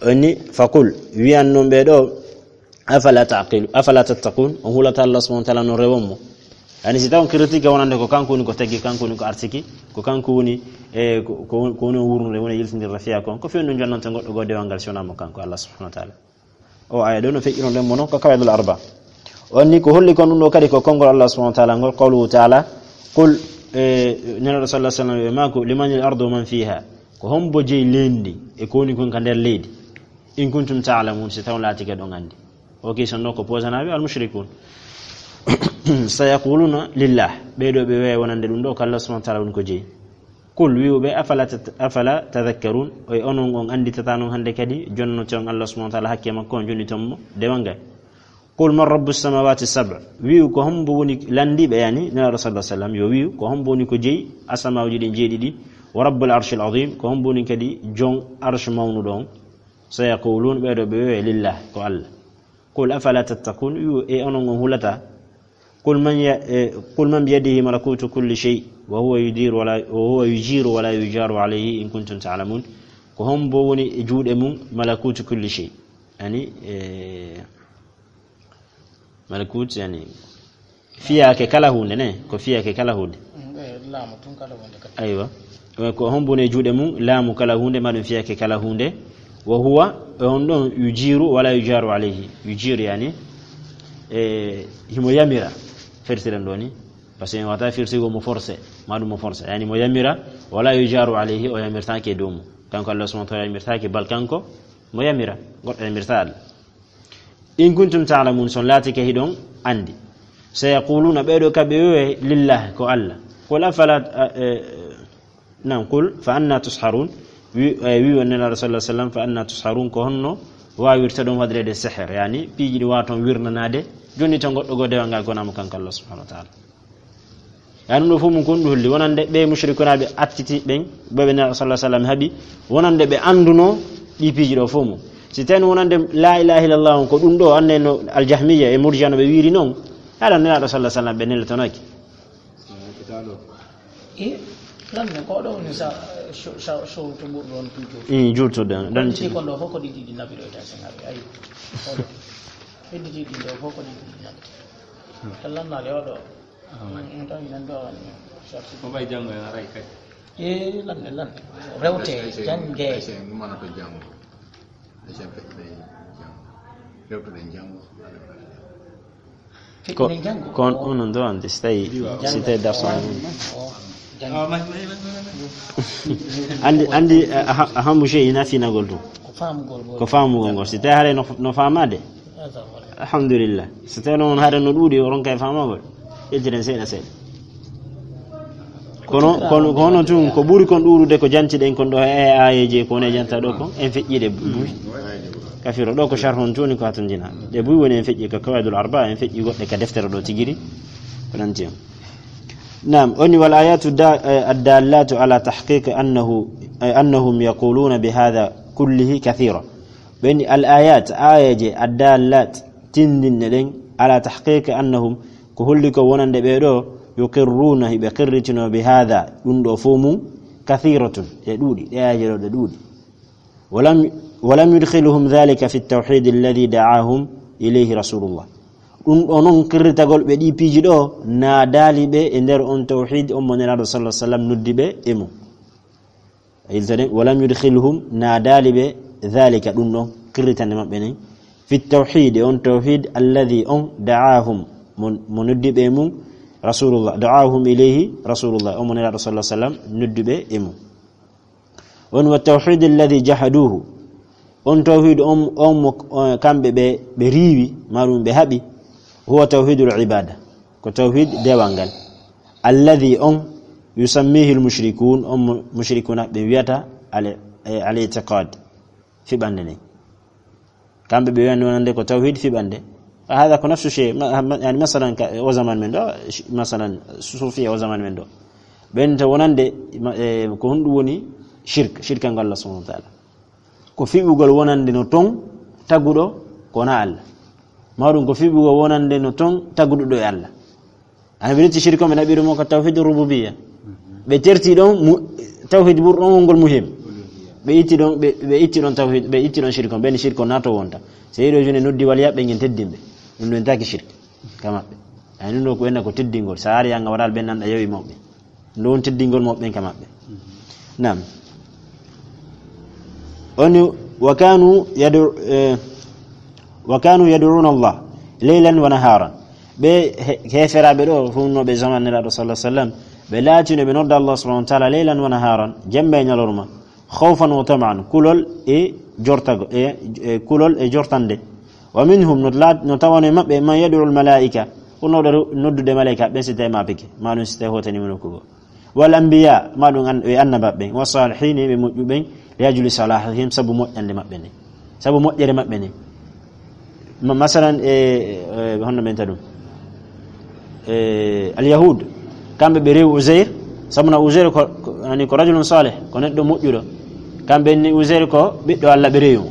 Oni, faqul, wiyan non ɓe ɗo, afala taqilu, afala tattaqun, on hulata Allah subhanahu wa ta'ala no rewon mo. Yani si tawon critique wonande ko kanko woni ko taggi, kanko woni ko arsiki, ko kanko woni, e, ko, ko, ko woni o wurnude, woni yiltindirde fiya kon, ko fewndo jonnante goɗɗo goo dewal ngal si wonaa mo kanko Allah subhanahu wa ta'ala. O aya ɗo no feƴƴiron ɗen mo non ko kawaidul arba. On ni ko holli kon ɗum ɗo kadi ko konngol Allah subhanahu wa ta'ala ngol, qawluhu ta'ala, qul, e, Nelaaɗo sallallahu alaihi wasallam ɓe maaku, limanil ardu wa man fiha, ko hombo jeyi leydi e ko woni kon ka nder leydi, in kuntum ta'lamun, si taw laatike ɗon anndi. O question ɗo ko posanaɓe al mushrikun. Sayaquluna lillah, ɓe ɗo ɓe wi'ay wonande ɗum ɗo ko Allah subhanahu wa ta'ala woni ko jeyi. Qul, wi'u ɓe, afala tat-, afala tadhakkarun, o e onon on annditata non hannde kadi jonnote on Allah subhanahu wa ta'ala hakke makko on jonniton mo dewal ngal. Qul man rabbus samawati sab', wi'u ko hombo woni lanndiiɓe, yani Nelaaɗo sallallahu alaihi wasallam yo wi'u ko hombo woni ko jeyi asamaaji ɗin jeeɗiɗi, wa rabbul arshil azim, ko hombo woni kadi jon arsh mawnuɗo on. Sayaqulun, ɓe ɗo ɓe wi'ay lillah, ko Allah. Qul afala tattaqun, wi'u e onon on hulata. Qul man ya-, eh, qul man biyadihi malakutu kulli shay, wa huwa yudiru wa la, wa huwa yujiru wa la yujaru alayhi in kuntum ta'lamun. Ko hombo woni e juuɗe mum malakutu kulli shay? Yani, eh, malakut, yani, fiyaake kala huunde ne, ko fiyaake kala huunde. Mm, eh, laamu tun kala huunde kadi. Aywa. Eh, ko hombo woni e juuɗe mum laamu kala huunde, ma ɗum fiyaake kala huunde. Wa huwa, e on ɗon, yujiru wala yujaru alayhi. Yujiru, yani, e, himo yamira. Firtiren ɗo ni. Parce que en wata firtigo mo forcé, ma ɗum mo forcé. Yani mo yamira, wala yujaru alayhi, o yamirtaake dow mum. Kanko Allah subhanahu wa ta'ala yamirtaake, bal kanko mo yamira. Goɗɗo yamirta Allah. In kuntum ta'lamun, son laatike hiɗon anndi. Sayaquluna, ɓeeɗo ka ɓe wi'e, lillah, ko Allah. Qul afala, eh, eh, Naam, qul fa anna tusharun. Wi, eh, wi on Nelaaɗo sallallahu alaihi wasallam, fa anna tusharun, ko honno waawirta ɗum waɗirede seher, yani piiji ɗi waaton wirnanaade, jonni to goɗɗo goo dewal ngal gonaa mo kanko Allah subhanahu wa ta'ala. Yani ɗum ɗo fof mum kon ɗum holli, wonande ɓe mushrikunaɓe attiti ɓen, ɓe ɓe Nelaaɗo sallallahu alaihi wasallam haɓi, wonande ɓe annduno ɗi piiji ɗo fof mum. Si tawi wonande la ilaha illallah on ko ɗum ɗo, annde no al-Jahmiyya e Murji'a no ɓe wiiri non, haɗa Nelaaɗo sallallahu alaihi wasallam ɓe neltonoki. E, lan ne, ko ɗo woni sa, so, sa, so to ɓurɗo on tuuto. Mm, juutude on, ɗon. Ɗon ci- ci kon ɗo fof ko ɗiɗi ɗi naɓi ɗo e tasen naɓi, ayi. Ko ɗo. Hedditi ɗin ɗo fof ko ɗiɗi ɗi naɓi. Tan lannaade o ɗo. Ah, ouais. Mm, tan nan ɗo, mm, sorti. Ko ɓay janngo en aray kadi. E, lan ne, lan. Rewte, ay, ay, jannge. Ay, ay, ɗum wonata janngo. Ay, ay, feƴƴude janngo. Rewtude janngo. Ko, ko on, on ɗo anndi, si tawi, si tawi darso on. Anndi, anndi, eh, a ha-, a hambu sey ina finagol ɗum. Ko faamugol ngol. Ko faamugol ngol. Si tawi haray no, no faamaade. Alhamdulillah. Si tawi noon haray no ɗuuɗi, o ronka e faamagol. Ƴettiren seeɗa seeɗa. Kono, kono, ko hono tun, ko ɓuri kon ɗuuɗude ko jantiɗen kon ɗo e aayeeje ko woni e janta ɗo kon, en feƴƴiɗe buy. Kafiro ɗo ko sharhun tuni ko hatondina. Ɗe buy woni en feƴƴi ka Qawaidul Arba, en feƴƴi goɗɗe ka deftere ɗo tigiri. Ko nanti on. Naam, oni wal ayatu da-, eh, ad-dallatu ala tahqiq annahu, eh, annahum yaquluna bi hadha kullihi kathira. Ɓeni al ayat, aayeeje, ad-dallat, tindinɗe ɗen, ala tahqiqi annahum, ko holli ko wonande ɓee ɗoo, yuqirruuna, hiɓe qirritino, bi haada, ɗum ɗoo fof mum, كثيرة، ɗe ɗuuɗi, ɗe aayeeje ɗo ɗe ɗuuɗi. ولم، ولم يدخلهم ذلك في التوحيد الذي دعاهم إليه رسول الله. Ɗum ɗo noon qirritagol ɓe ɗi piiji ɗo, naadaali ɓe e nder on tawhid on mo Nelaaɗo sallallahu alaihi wasallam noddi ɓe e mum. A yiltade, ولم يدخلهم, naadaali ɓe, ذلك, ɗum ɗon, qirritande maɓɓe nden, في التوحيد, on tawhid, الذي, on, دعاهم, mo, mo noddi ɓe e mum, رسول الله, دعاهم إليه رسول الله, on mo Nelaaɗo sallallahu alaihi wasallam noddi ɓe e mum. On, والتوحيد الذي جحدوه, on tawhid on, on mo, on, kamɓe ɓe, ɓe riiwi, maɗum ɓe haɓi, هو توحيد العبادة, ko tawhid dewal ngal. الذي, on, يسميه المشركون, on mo mushrikuuna ɓe wiyata al, eh, al-i'tiqad, fiɓande nden. Kamɓe ɓe wiyande wonande ko tawhid fiɓande. Hada ko nafsu shay, ma, ma, yani masalan ka, o zaman men ɗo, sh-, masalan sufiya o zaman men ɗo. Ɓen to wonande, ma, eh, ko honɗum woni shirk, shirka ngal Allah subhanahu wa ta'ala. Ko fiɓugol wonande no ton taguɗo ko na Allah. Maɗum ko fiɓugol wonande no ton taguɗo ɗo e Allah. Ana ɓe lutti shirk on, ɓe naɓiri mo ko tawhid rububiyya. Ɓe terti ɗon mu-, tawhid ɓurɗo on wongol muhim. Ɓe itti ɗon, ɓe, ɓe itti ɗon tawhid, ɓe itti ɗon shirk on, ɓen shirk on nato wonta. So yiɗo jone noddi waliya ɓe ngen teddimɓe. Ɗum ɗon taki shirk ka maɓɓe. Ay ɗum ɗo ko enna ko teddingol. Sa ari anga waɗal ɓen nanɗa yawi mawɓe. Ɗum ɗon teddingol mawɓe ɓen ka maɓɓe. Naam. Oni, وكانوا يدعو-، eh, وكانوا يدعون الله ليلا ونهارا. Ɓe he-, heeferaaɓe ɗo, hunnooɓe zaman Nelaaɗo sallallahu alaihi wasallam, ɓe laatino ɓe nodda Allah subhanahu wa ta'ala ليلا ونهارا, jemma e ñalorma, خوفا وطمعا, kulol e jortago, e, e kulol e jortande. ومنهم, no la-, no tawano e maɓɓe, من يدعو الملائكة, hunnooɗo ru-, noddude malaika, ɓen si tawi ma peke, ma ɗum si tawi hotani mo nokku goo. والأنبياء, ma ɗum an-, e annabaaɓe ɓen, والصالحين, ɓe moƴƴuɓe ɓen, لأجل صلاحهم, sabu moƴƴande maɓɓe nden, sabu moƴƴere maɓɓe nden. Ma-, masalan, e, e, honno ɓen ta ɗum? E, al-Yahud, kamɓe ɓe rewi Uzair, sabu na Uzair ko, ko, yani ko rajulun salih, ko neɗɗo moƴƴuɗo. Kamɓe ni Uzair ko ɓiɗɗo Allah, ɓe rewi mo.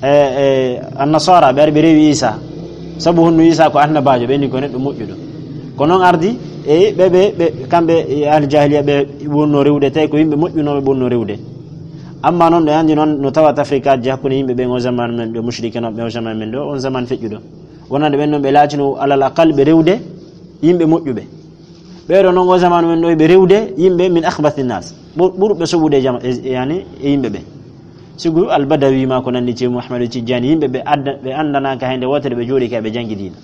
E, e, Annasara, ɓe ari ɓe rewi Isa. Sabu honno Isa ko annabaajo, ɓe ni ko neɗɗo moƴƴuɗo. Ko noon ardi, e ɓe, ɓe, ɓe, kamɓe, e ahli jahiliya, ɓe wonno rewde, tawi ko yimɓe moƴƴunooɓe ɓe wonno rewde. Amma noon, ɗo anndi noon, no tawata frikaaji hakkunde yimɓe ɓen o zaman men ɗo, mushrikinoɓe o zaman men ɗo, on zaman feƴƴuɗo. Wonande ɓen noon, ɓe laatino alal aqal ɓe rewde yimɓe moƴƴuɓe. Ɓeeɗo noon, o zaman men ɗo, ɓe rewde yimɓe من أخبث الناس. Ɓur-, ɓurɓe soɓude e jama-, e, e, yani, e yimɓe ɓen. Sigu Al-Badawi ma ko nanndi Ceerno Ahmadu Tijjaani, yimɓe ɓe adda-, ɓe anndanaaka hay nde wootere, ɓe jooɗii kay, ɓe janngidiino.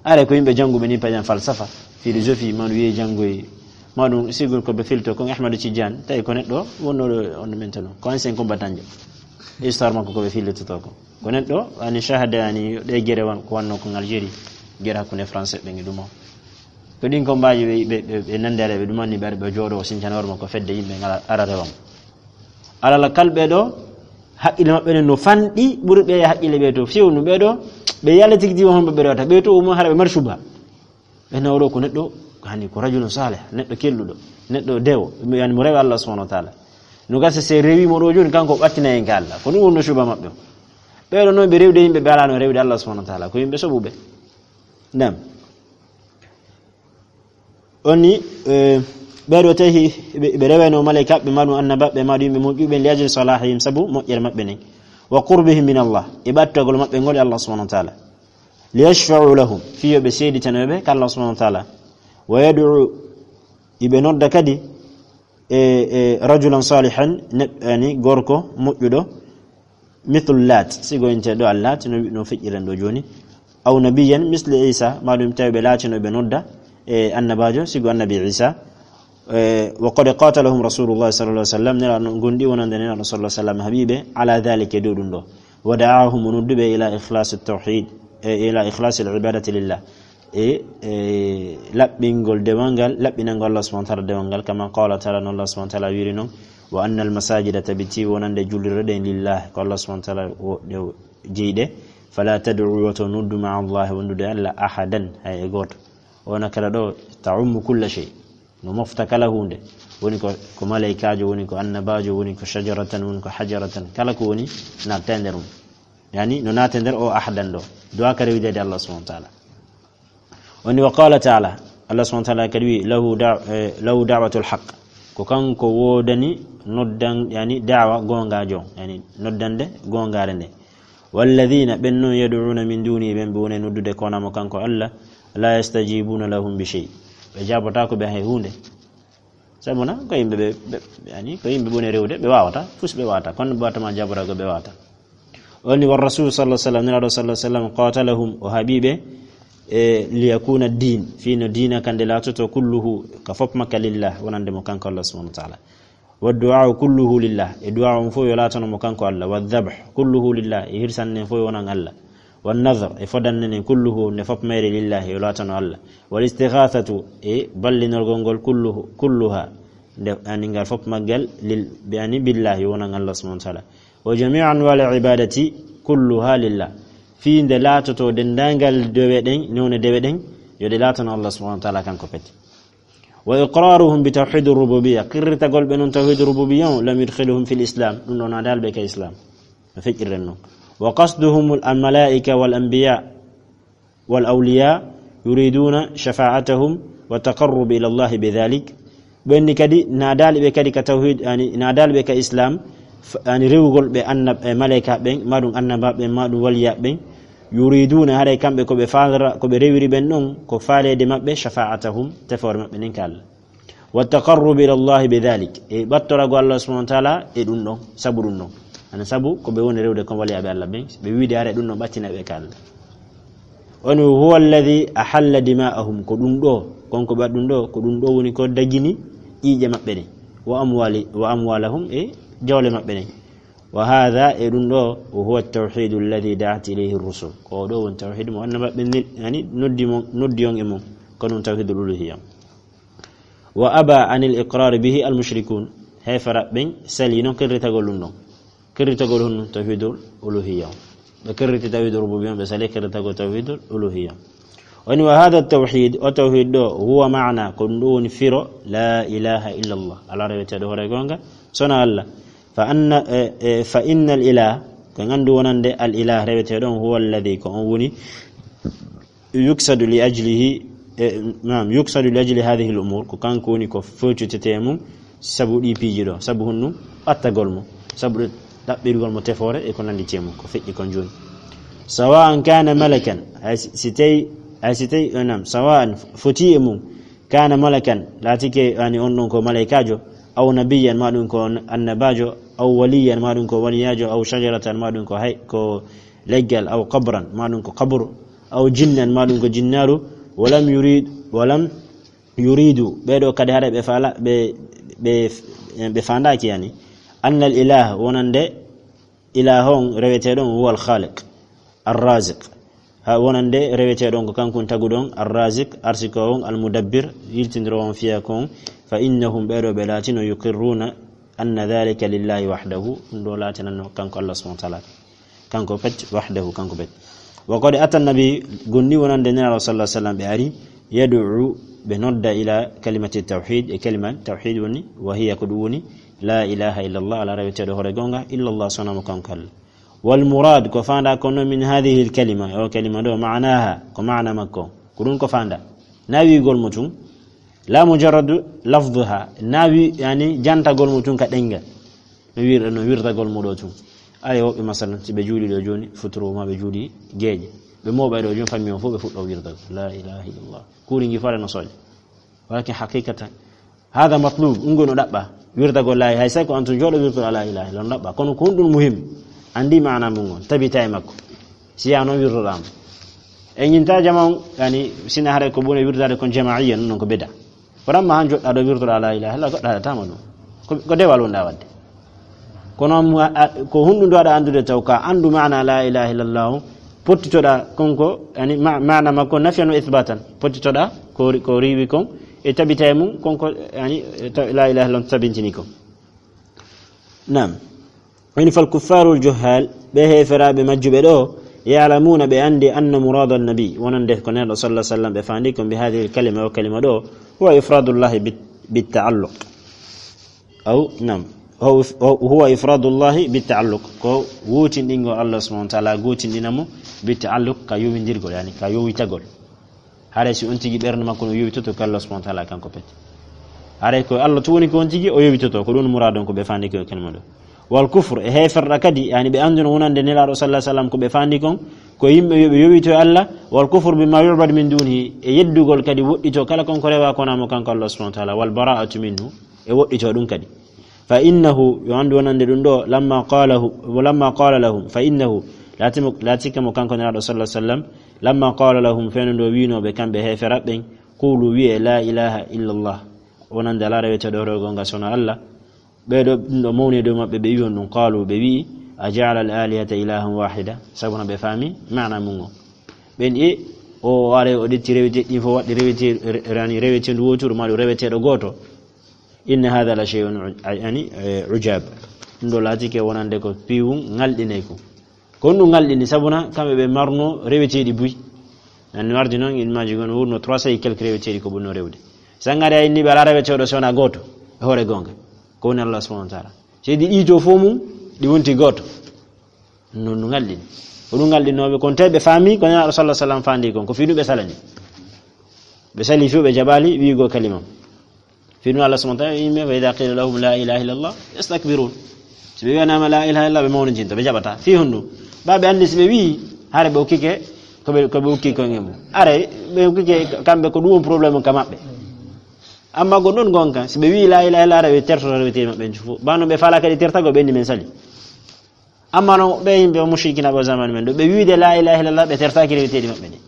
Are ko yimɓe jannguɓe ni, par exemple, falsafa, philosophie, ma ɗum wiye janngoye, ma ɗum sigur ko ɓe filto, ko Ahmadu Tijjaani, tawi ko neɗɗo wonnooɗo on ɗo men tano, ko ancien combattant jo. Histoire makko ko ɓe fillitoto ko. Ko neɗɗo, ani shahada, ani ɗe gere wan-, ko wanno ko Algérie, gere hakkunde français ɓe ngi ɗum o. Ko ɗin kombaaji ɓe, ɓe, ɓe, ɓe nande are ɓe ɗum anni ɓe ara ɓe jooɗo o sincana hoore makko fedde yimɓe ngala ara rewa mo. Alal kal ɓe ɗo, haqqille maɓɓe ɗen no fanɗi, ɓuri ɓe haqqille ɓe to fewnu ɓe ɗo, ɓe yalla tigi tigi honɓe ɓe rewata, ɓe to o mo hara ɓe mari suba. Ɓe nawɗo ko neɗɗo, hani ko rajulun salih, neɗɗo kelluɗo, neɗɗo dewo, yani mo rewi Allah subhanahu wa ta'ala. No gasa se rewi mo ɗo joni, kanko ɓattina en ka Allah. Ko ɗum wonno suba maɓɓe o. Ɓe ɗo noon ɓe rewde yimɓe ɓe alano rewde Allah subhanahu wa ta'ala, ko yimɓe soɓuɓe. Naam. Onni, eh, ɓeeɗo tawi ɓe, ɓe rewayno malaykaaɓe, ma ɗum annabaaɓe, ma ɗum yimɓe moƴƴuɓe, li ajli salahihim, sabu moƴƴere maɓɓe nden. Wa qurbihim min Allah, e ɓattagol maɓɓe ngol e Allah subhanahu wa ta'ala. Li yashfa'u lahum, fii yo ɓe seeditano ɓe ka Allah subhanahu wa ta'ala. Wa yad'u, iɓe nodda kadi, e, e rajulan salihan, ne-, yani gorko moƴƴuɗo, mithlu Lat, sigo inte ɗo Allat, no, no feƴƴiren ɗo jooni. Aw nabiyyan misli Isa, ma ɗum tawi ɓe laatino ɓe nodda, e annabaajo, sigo annabi Isa. E, wa qad qatalahum Rasulullah sallallahu alaihi wasallam, nela no gondi wonande nena sallallahu alaihi wasallam habibe, ala dhalika, e dow ɗum ɗo. Wa da'ahum, o nodduɓe ila ikhlasi tawhid, e, ila ikhlasi al-ibadati lillah. E, e, laɓɓingol dewal ngal, laɓɓinangol Allah subhanahu wa ta'ala dewal ngal, kama qala ta'ala, no Allah subhanahu wa ta'ala wiri non, "Wa anna al-masajida", tabiti wonande jullirɗe ɗen, "lillahi", ko Allah subhanahu wa ta'ala wo-, ɗe o jeyɗe, "fala tad'u", woto noddu, "ma'a Allahi", wondude Allah, "ahadan", hay e gooto. Ona kala ɗo ta'ummu kulla shay, no mofta kala hunde, woni ko, ko malaykaajo, woni ko annabaajo, woni ko shajaratan, woni ko hajaratan, kala ko woni natta e nder mum. Yani, no naata e nder o ahadan ɗo. Du'a ka rewidede Allah subhanahu wa ta'ala. Woni wa qala ta'ala, Allah subhanahu wa ta'ala kadi wi, "Lahu da-, eh, lahu da'watul haqq." Ko kanko woodani noddan, yani da'wa goongaajo, yani noddande goongaare nde. "Walladhina", ɓen non, "yad'una min duni", ɓen ɓe woni noddude kona mo kanko Allah, "la yastajibuna lahum bi shay." Ɓe jaabotaako ɓe hay huunde. Sabu na ko yimɓe ɓe, ɓe, yani ko yimɓe ɓe woni rewde, ɓe wawata, fus ɓe wawata, kono ɓe wawata ma jaabotaako ɓe wawata. O ni, "War rasul sallallahu alaihi wasallam", Nulaaɗo sallallahu alaihi wasallam, "qatalahum", o haɓiɓe, e, "liyakuna ad-din", fii no diina kan nde laatoto, "kulluhu", ka fop makka, "lillah", wonande mo kanko Allah subhanahu wa ta'ala. "Wa du'a'u kulluhu lillah", e du'a on fof yo laatano mo kanko Allah. "Wa dhabh kulluhu lillah", e hirsan nen fof yo wonan Allah. "Wa nadhr", e fodan nen, "kulluhu", nde fop mayre, "lillahi", yo laatano Allah. "Wal istighathatu", e ballinorgol ngol, "kulluhu", "kulluha", nde, yani ngal fop maggal, lil, yani billahi, wonan Allah subhanahu wa ta'ala. "Wa jami'u anwa'il ibadati kulluha lillah", fii nde laatoto denndaangal dewe ɗen, newne dewe ɗen, yo ɗe laatano Allah subhanahu wa ta'ala kanko pet. "Wa iqraruhum bi tawhidir rububiyya", qirritagol ɓe non tawhidur rububiyya on, "lam yudkhiluhum fil islam", ɗum ɗon naadaali ɓe ka islam. No feƴƴirren non. "Wa qasduhum al malaika wal anbiya wal awliya yuriduna shafa'atahum wa taqarrub ila Allah bi dhalik." Ɓenni kadi naadaali ɓe kadi ka tawhid, yani naadaali ɓe ka islam, f-, yani rewugol ɓe annab-, e malaika ɓen, maɗum annaba ɓen, maɗum waliya ɓen. "Yuriduna", haray kamɓe ko ɓe faala, ko ɓe rewiri ɓen ɗon, ko faaleede maɓɓe, "shafa'atahum", tefoore maɓɓe nden ka Allah. "Wa taqarrub ila Allah bi dhalik", e ɓattorago Allah subhanahu wa ta'ala e ɗum ɗon, sabu ɗum ɗon. Ana sabu ko ɓe woni rewde kon waliyaaɓe Allah ɓen, ɓe wiide haray ɗum ɗon ɓattina ɓe ka Allah. O ni, "Huwa alladhi ahalla dima'ahum", ko ɗum ɗo, kon ko ɓe waɗi ɗum ɗo, ko ɗum ɗo woni ko dagini ƴiiƴe maɓɓe ɗen. "Wa amwali-, wa amwalahum", e jawle maɓɓe ɗen. "Wa hadha", e ɗum ɗo, "huwa at-tawhidu alladhi da'at ilayhi ar-rusul", ko o ɗo woni tawhid mo annaba ɓe nel-, yani noddi mo, noddi on e mum, ko ɗum tawhidul uluhiyya. "Wa aba anil iqrar bihi al mushrikun", heefera ɓen sali non qirritagol ɗum ɗon. Qirritagol honno? Tawhidul uluhiyya. Ɓe qirriti tawhidul rububiyya, ɓe sali qirritagol tawhidul uluhiyya. O ni, "Wa hadha tawhid", o tawhid ɗo, "huwa ma'na", ko ɗum ɗo woni firo, "la ilaha illa Allah", ala reweteeɗo hoore goonga, sona Allah. Fa anna, e, e, fa innal ilah, ko en anndu wonande al ilah reweteeɗo on, "huwa alladhi", ko on woni, "yuksadu li ajlihi", e, naam, "yuksadu li ajli hadhihi al umur", ko kanko woni ko fewtitete e mum sabu ɗi piiji ɗo, sabu honɗum? Ɓattagol mo, sabu ɗaɓɓirgol mo tefoore e ko nandi e mum, ko feƴƴi kon jooni. "Sawa'an kana malakan", hay si, si tawi, hay si tawi, e, naam, "sawa'an", foti e mum, "kana malakan", laatike, yani on ɗon ko malaykaajo, "aw nabiyyan", ma ɗum ko annabaajo, "aw waliyan", ma ɗum ko waliyaajo, "aw shajaratan", ma ɗum ko hay, ko leggal, "aw qabran", ma ɗum ko qabru, "aw jinnan", ma ɗum ko jinnaaru, "walam yurid, walam yuridu", ɓeeɗo kadi hara ɓe faala, ɓe, ɓe, ɓe faandaaki, yani, "annal ilah", wonande ilah on reweteeɗo on, "huwal khaliq, ar-raziq", ha wonande reweteeɗo on ko kanko on taguɗo on, "ar-raziq", arsiko on, "al-mudabbir", yiltindiro on fiya kon, "fa innahum", ɓeeɗo ɓe laatino, "yuqirruna anna dhalika lillahi wahdahu", ɗum ɗo laatinanno kanko Allah subhanahu wa ta'ala. Kanko pet, wahdahu, kanko pet. Wa qad ata nabi, gonni wonande Nelaaɗo sallallahu alaihi wasallam ɓe ari, yad'u, ɓe nodda ila kalimati tawhid, e kalima tawhid woni, wa hiya, ko ɗum woni, la ilaha illallah, ala reweteeɗo hoore goonga, illallah, sona mo kanko Allah. Wal murad, ko faanda kono min hadhihi al kalima, o kalima ɗo, ma'naha, ko maana makko. Ko ɗum ko faanda. Na wiigol mo tun, la mujarradu lafdhuha, na wi, yani, jantagol mo tun ka ɗengal. No wir-, no wirdagol mo ɗo tun. Ari woɓɓe, masalan, si ɓe juuli ɗo jooni, futuro ma ɓe juuli geeƴe. Ɓe mooɓay ɗo jooni, fammi on fof ɓe fuɗɗo wirdagol. La ilaha illallah. Kuuri ngi fare no sooƴa. Walakin haqiqatan, hada matlub, ɗum ngol no ɗaɓɓa. Wirdagol la, hay say ko an tun jooɗo wirtoɗa la ilaha illallah, no ɗaɓɓa. Kono ko honɗum muhim? Andi maana mum on, tabita e makko. Si ya noon wirtoɗaama. E ñinta jama on, yani, sina haray ko ɓuri wirdade kon jama'iyya, non ko bida. Kono amma han joɗɗa ɗo wirtoɗa la ilaha illallah, goɗɗo haɗatama ɗum. Ko, ko dewal wonɗa wadde. Kono mo a, a, ko honɗum ɗo aɗa anndude taw ka anndu maana la ilaha illallah, pottitoɗa konko, yani ma-, maana makko nafyan wa ithbatan. Pottitoɗa ko ri-, ko riiwi kon, e tabita e mum, konko, yani, ta-, la ilaha illallah tabintini kon. Naam. Woni fal kuffarul juhal, ɓe heeferaaɓe majjuɓe ɗo, ya'lamuna, ɓe anndi, anna murada nabi, wonande ko Nelaaɗo sallallahu alaihi wasallam ɓe faandi kon bi hadhihi al kalima, o kalima ɗo, huwa ifradullahi bit, bit ta'alluq. Aw, naam. Huwa, huwa ifradullahi bit ta'alluq. Ko wootinɗingol Allah subhanahu wa ta'ala, gootinɗina mo bit ta'alluq, ka yowindirgol, yani ka yowitagol. Haray si on tigi ɓernde makko no yowitoto ko Allah subhanahu wa ta'ala kanko pete. Haray ko Allah tun woni ko on tigi o yowitoto, ko ɗun muraadun ko ɓe fandi ko kalima ɗo. Wal kufr, e heeferɗa kadi, yani ɓe annduno wonande Nelaaɗo sallallahu alaihi wasallam ko ɓe fandi kon, ko yimɓe yo ɓe yowito e Allah, wal kufr bima yu'bad min dunihi, e yeddugol kadi woɗɗito kala kon ko rewa ko wonaa mo kanko Allah subhanahu wa ta'ala, wal bara'atu minhu, e woɗɗito ɗun kadi. Fa innahu, yo anndu wonande ɗun ɗo, lamma qalahu, lamma qala lahum, fa innahu, laatimo, laatike mo kanko Nelaaɗo sallallahu alaihi wasallam, lamma qala lahum, fenndo ndo wi'unoo ɓe kamɓe heeferaɓe ɓen, qulu, wi'ee, la ilaha illa Allah, wonande alaa reweteeɗo hoore goonga si wonaa Allah. Ɓee ɗoo, ɗun ɗo mawni e dow maɓɓe, ɓe wi'i honɗun, qalu, ɓe wi'i, a ja'ala al alihata ilahan wahida, sabu no ɓe faami maana mun on. Ɓen e o are o ƴetti reweteeɗi ɗin fof waɗi rewete-, re-, rani reweteendu wooturu, maa ɗun reweteeɗo gooto. Inna hadha la shay'un uj-, yani, eh, ujab. Ɗun ɗo laatike wonande ko piiwun ŋalɗinayku. Ko honɗun ŋalɗini? Sabuna kamɓe ɓe marno reweteeɗi buy. An wardi non, il maaji gon wurno trois cents et quelques reweteeɗi ko ɓurno rewde. Sangare a inni ɓe alaa reweteeɗo si wonaa gooto e hoore goonga. Ko woni Allah subhanahu wa ta'ala. Seydi ɗi to fof mum, ɗi wonti gooto. Non no ŋalɗini. Ko ɗun ŋalɗinooɓe kon, te ɓe faami ko Nelaaɗo sallallahu alaihi wasallam fandi kon, ko fii ɗun ɓe salani. Ɓe sali fiw, ɓe jaɓaali wi'ugol kalima. Fii ɗun Allah subhanahu wa ta'ala, yimɓe, wa idha qila lahum la ilaha illallah yastakbirun. Si ɓe wi'anaama la ilaha illallah, ɓe mawnijinta, ɓe jaɓata. Fii honɗun? Ba ɓe anndi si ɓe wi'i, hare ɓe ukkike, ko ɓe, ko ɓe ukki kon e mun. Hare ɓe ukkike kamɓe ko ɗun on problème ka maɓɓe. Amma gon ɗon gonka, si ɓe wi'i la ilaha illallah, hare ɓe tertoto reweteeɗi maɓɓe ɓen fof. Ba no ɓe faalaa kadi tertagol ɓe anndi men sali. Amma no ɓe yimɓe mushrikina ɓe zamanu men ɗo, ɓe wi'ude la ilaha illallah, ɓe tertaaki reweteeɗi maɓɓe ɗin.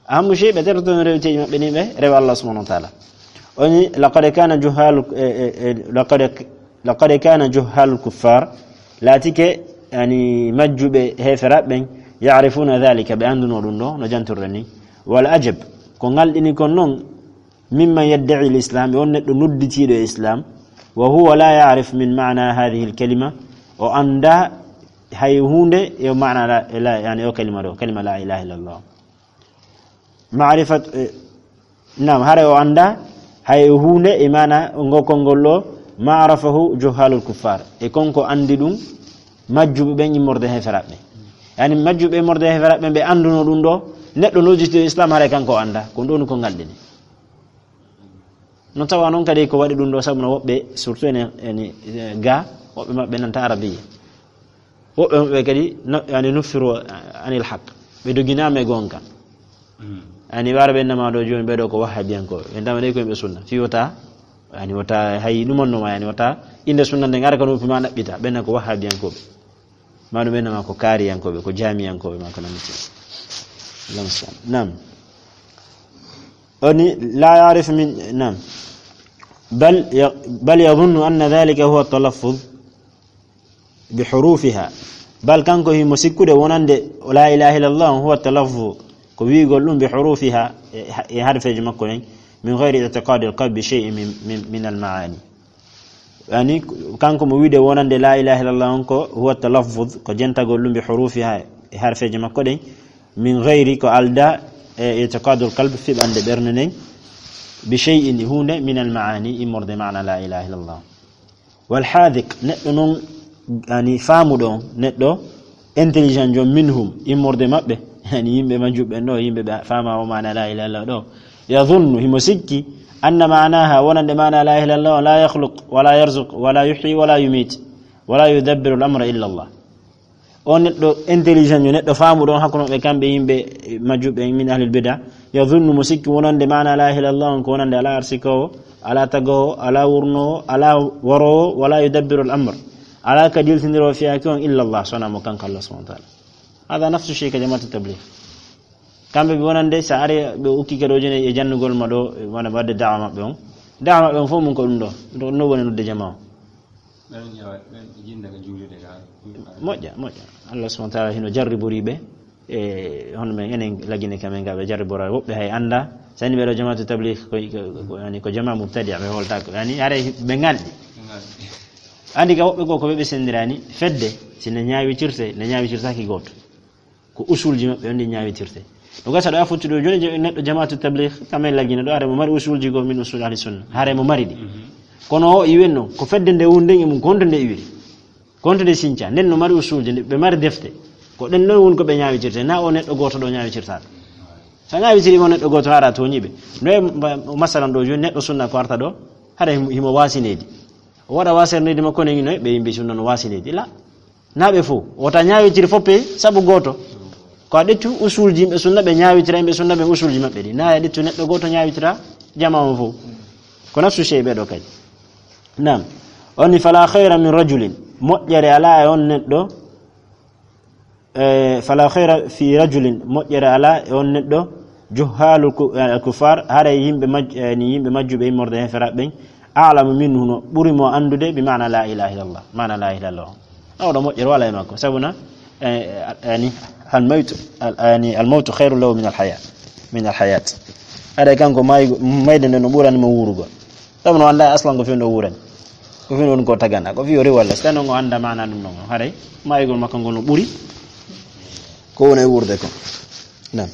Amma mushi-, ɓe tertoto reweteeɗi maɓɓe ɗin, ɓe rewa Allah subhanahu wa ta'ala. O ni, laqad kana juhalu, eh, eh, eh, laqad, laqad kana juhalul kuffar, laatike, yani, majjuɓe heeferaɓe ɓen, ya'rifuna dhalika, ɓe annduno ɗun ɗo, no jantirɗen ni. Wal ajab, ko ŋalɗini kon non, mimman yadda'i al-islam, e on neɗɗo nodditiiɗo e islam, wa huwa la ya'rif min ma'na hadhihi al-kalima, o annda hay huunde e maana la, la, yani o kalima ɗo, kalima la ilaha illallah. Ma'rifat, eh, naam, hare o annda hay huunde e maana ngo konngol ɗo, ma arafahu juhalul kuffar, e kon ko anndi ɗun majjuɓe ɓen immorde heeferaɓe ɓen. Yani majjuɓe immorde heeferaɓe ɓen ɓe annduno ɗun ɗo, neɗɗo nodditiiɗo islam hare kanko o annda, ko ɗun ko ŋalɗini. No tawa non kadi ko waɗi ɗun ɗo, sabu no woɓɓe, surtout ene, ene, eh, ga, woɓɓe maɓɓe nanta arabiya. Woɓɓe maɓɓe kadi no, yani, nuffiru anil haq. Ɓe doginaama e goonga. Mm. Yani, wara ɓe nama ɗo jooni, ɓe ɗo ko wahhabiyankooɓe. Ɓe ndama ɗe ko yimɓe sunna. Fii wota, yani, wota hay ɗumanno ma, yani, wota innde sunna nden ara ka noppi ma ɗaɓɓita. Ɓen ko wahhabiyankooɓe. Ma ɗum ɓen ma ko kaariyankooɓe, ko jaamiyankooɓe, ma ko nandi. Allahumma salli. Naam. O ni, la ya'rifu min, naam. Bal ya-, bal yadhunnu anna dhalika huwa talaffuz bi hurufiha. Bal kanko himo sikkude wonande la ilaha illallah huwa talaffuz, ko wi'ugol ɗum bi hurufiha, e, e harfeeji makko ɗen, min ghayri i'tiqadi al-qalbi bi shay'in min, min, min al-ma'ani. Yani, kanko mo wi'ude wonande la ilaha illallah on ko huwa talaffuz, ko jentagol ɗum bi hurufiha, e harfeeji makko ɗen, min ghayri, ko aldaa e i'tiqadul qalb, fiɓande ɓernde nden, bi shay'in, huunde, min al ma'ani, immorde maana la ilaha illallah. Wal haadiq, neɗɗo non, yani, faamuɗo on, neɗɗo intelligent jon, minhum, immorde maɓɓe, yani, yimɓe majjuɓe ɓen ɗo, yimɓe ɓe faama o maana la ilaha illallah ɗo, yadhunnu, himo sikki, anna maanaha, wonande maana la ilaha illallah, la yakhluq, wala yarzuq, wala yuhyi, wala yumit, wala yudabbiru al amra illa Allah. O neɗɗo intelligent, yo neɗɗo faamuɗo on hakkunde maɓɓe, kamɓe yimɓe majjuɓe min ahlil bida, yadhunnu, mo sikki wonande maana la ilaha illallah on ko wonande alaa arsikowo, alaa tagowo, alaa wurnowo, alaa warowo, wala yudabbiru al amr, alaa ka diltindiroo fiyaake on illa Allah, so wonaa mo kanko Allah subhanahu wa ta'ala. Hada nafsu shay ka jamaatu tabligh. Kamɓe ɓe wonande, so ari ɓe ukki kadi o joni e jannugol ma ɗo, wona wadde da'wa maɓɓe on. Da'wa maɓɓe on fof mun ko ɗum ɗo. Ɗo, no woni nodde jamaa o. Ɓen ƴeewa, ɓen jinda ka juulirde ka. Moƴƴa, moƴƴa. Allah subhanahu wa ta'ala hino jarribori ɓe. E hono men enen lagine kamen ga ɓe jarribora woɓɓe hay annda. Sani ɓe ɗo jamaatu tabligh ko, ko, ko, yani ko jamaa mubtadi' ɓe holtako. Yani hare ɓe ngalɗi. Ɓe ngalɗi. Andi ka woɓɓe goo ko ɓe ɓe sendirani fedde, sine ñaawitirte, nde ñaawitirtaki gooto. Ko usulji maɓɓe on ɗi ñaawitirte. Ɗum gasa ɗo a fotti ɗo jooni je-, neɗɗo jamaatu tabligh, kamen lagine ɗo, hare mo mari usulji goo min usul ahli sunna. Hare mo mari ɗi. Mhm. Kono o iwen no, ko fedde nde wunden e mum, ko honto nde iwiri. Ko honto nde sinca, nden no mari usulji, nde ɓe mari defte. Ko ɗen ɗon woni ko ɓe ñaawitirte, na o neɗɗo gooto ɗo ñaawitirta ɗum. A ñaawitiri mo neɗɗo gooto, haara tooñi ɓe. Noye ma-, masalan ɗo jooni neɗɗo sunna ko arta ɗo, hara himo, himo waasi nehdi. O waɗa waasere nehdi makko ne, noye ɓe yimɓe sunna no waasi nehdi. La, na ɓe fof. Wota ñaawitiri fof pe sabu gooto. Ko a ƴettu usulji yimɓe sunna ɓe ñaawitira yimɓe sunna ɓe usulji maɓɓe ɗi. Na a ƴettu neɗɗo gooto ñaawitira jamaa on fof. Ko nafsu sey ɓe ɗo kadi. Naam. O ni, "Fala khayra min rajulin." Moƴƴere alaa e on neɗɗo. Eh, "Fala khayra fi rajulin." Moƴƴere alaa e on neɗɗo. "Juhhalu ku-, eh, kuffar." Haray yimɓe maj-, eh, ni yimɓe majjuɓe immorde heferaaɓe ɓen. "A'lamu minhu", no ɓuri mo anndude bi maana la ilaha illallah. Maana la ilaha illallah. Oɗo moƴƴere wala e makko. Sabu na, eh, eh, yani, al mawtu, al, yani, al mawtu khayrun lahu min al haya, min al hayat. Haray kanko may-, mayde nde no ɓurani mo wuurugol. Sabu no annda aslan ko fewndo wuurani. Ko fewndo woni ko tagana. Ko fiyo rewa Allah. So tawi noon o annda maana ɗum ɗon. Haray maayugol makko ngol no ɓuri ko woni e wuurde ko. Naam.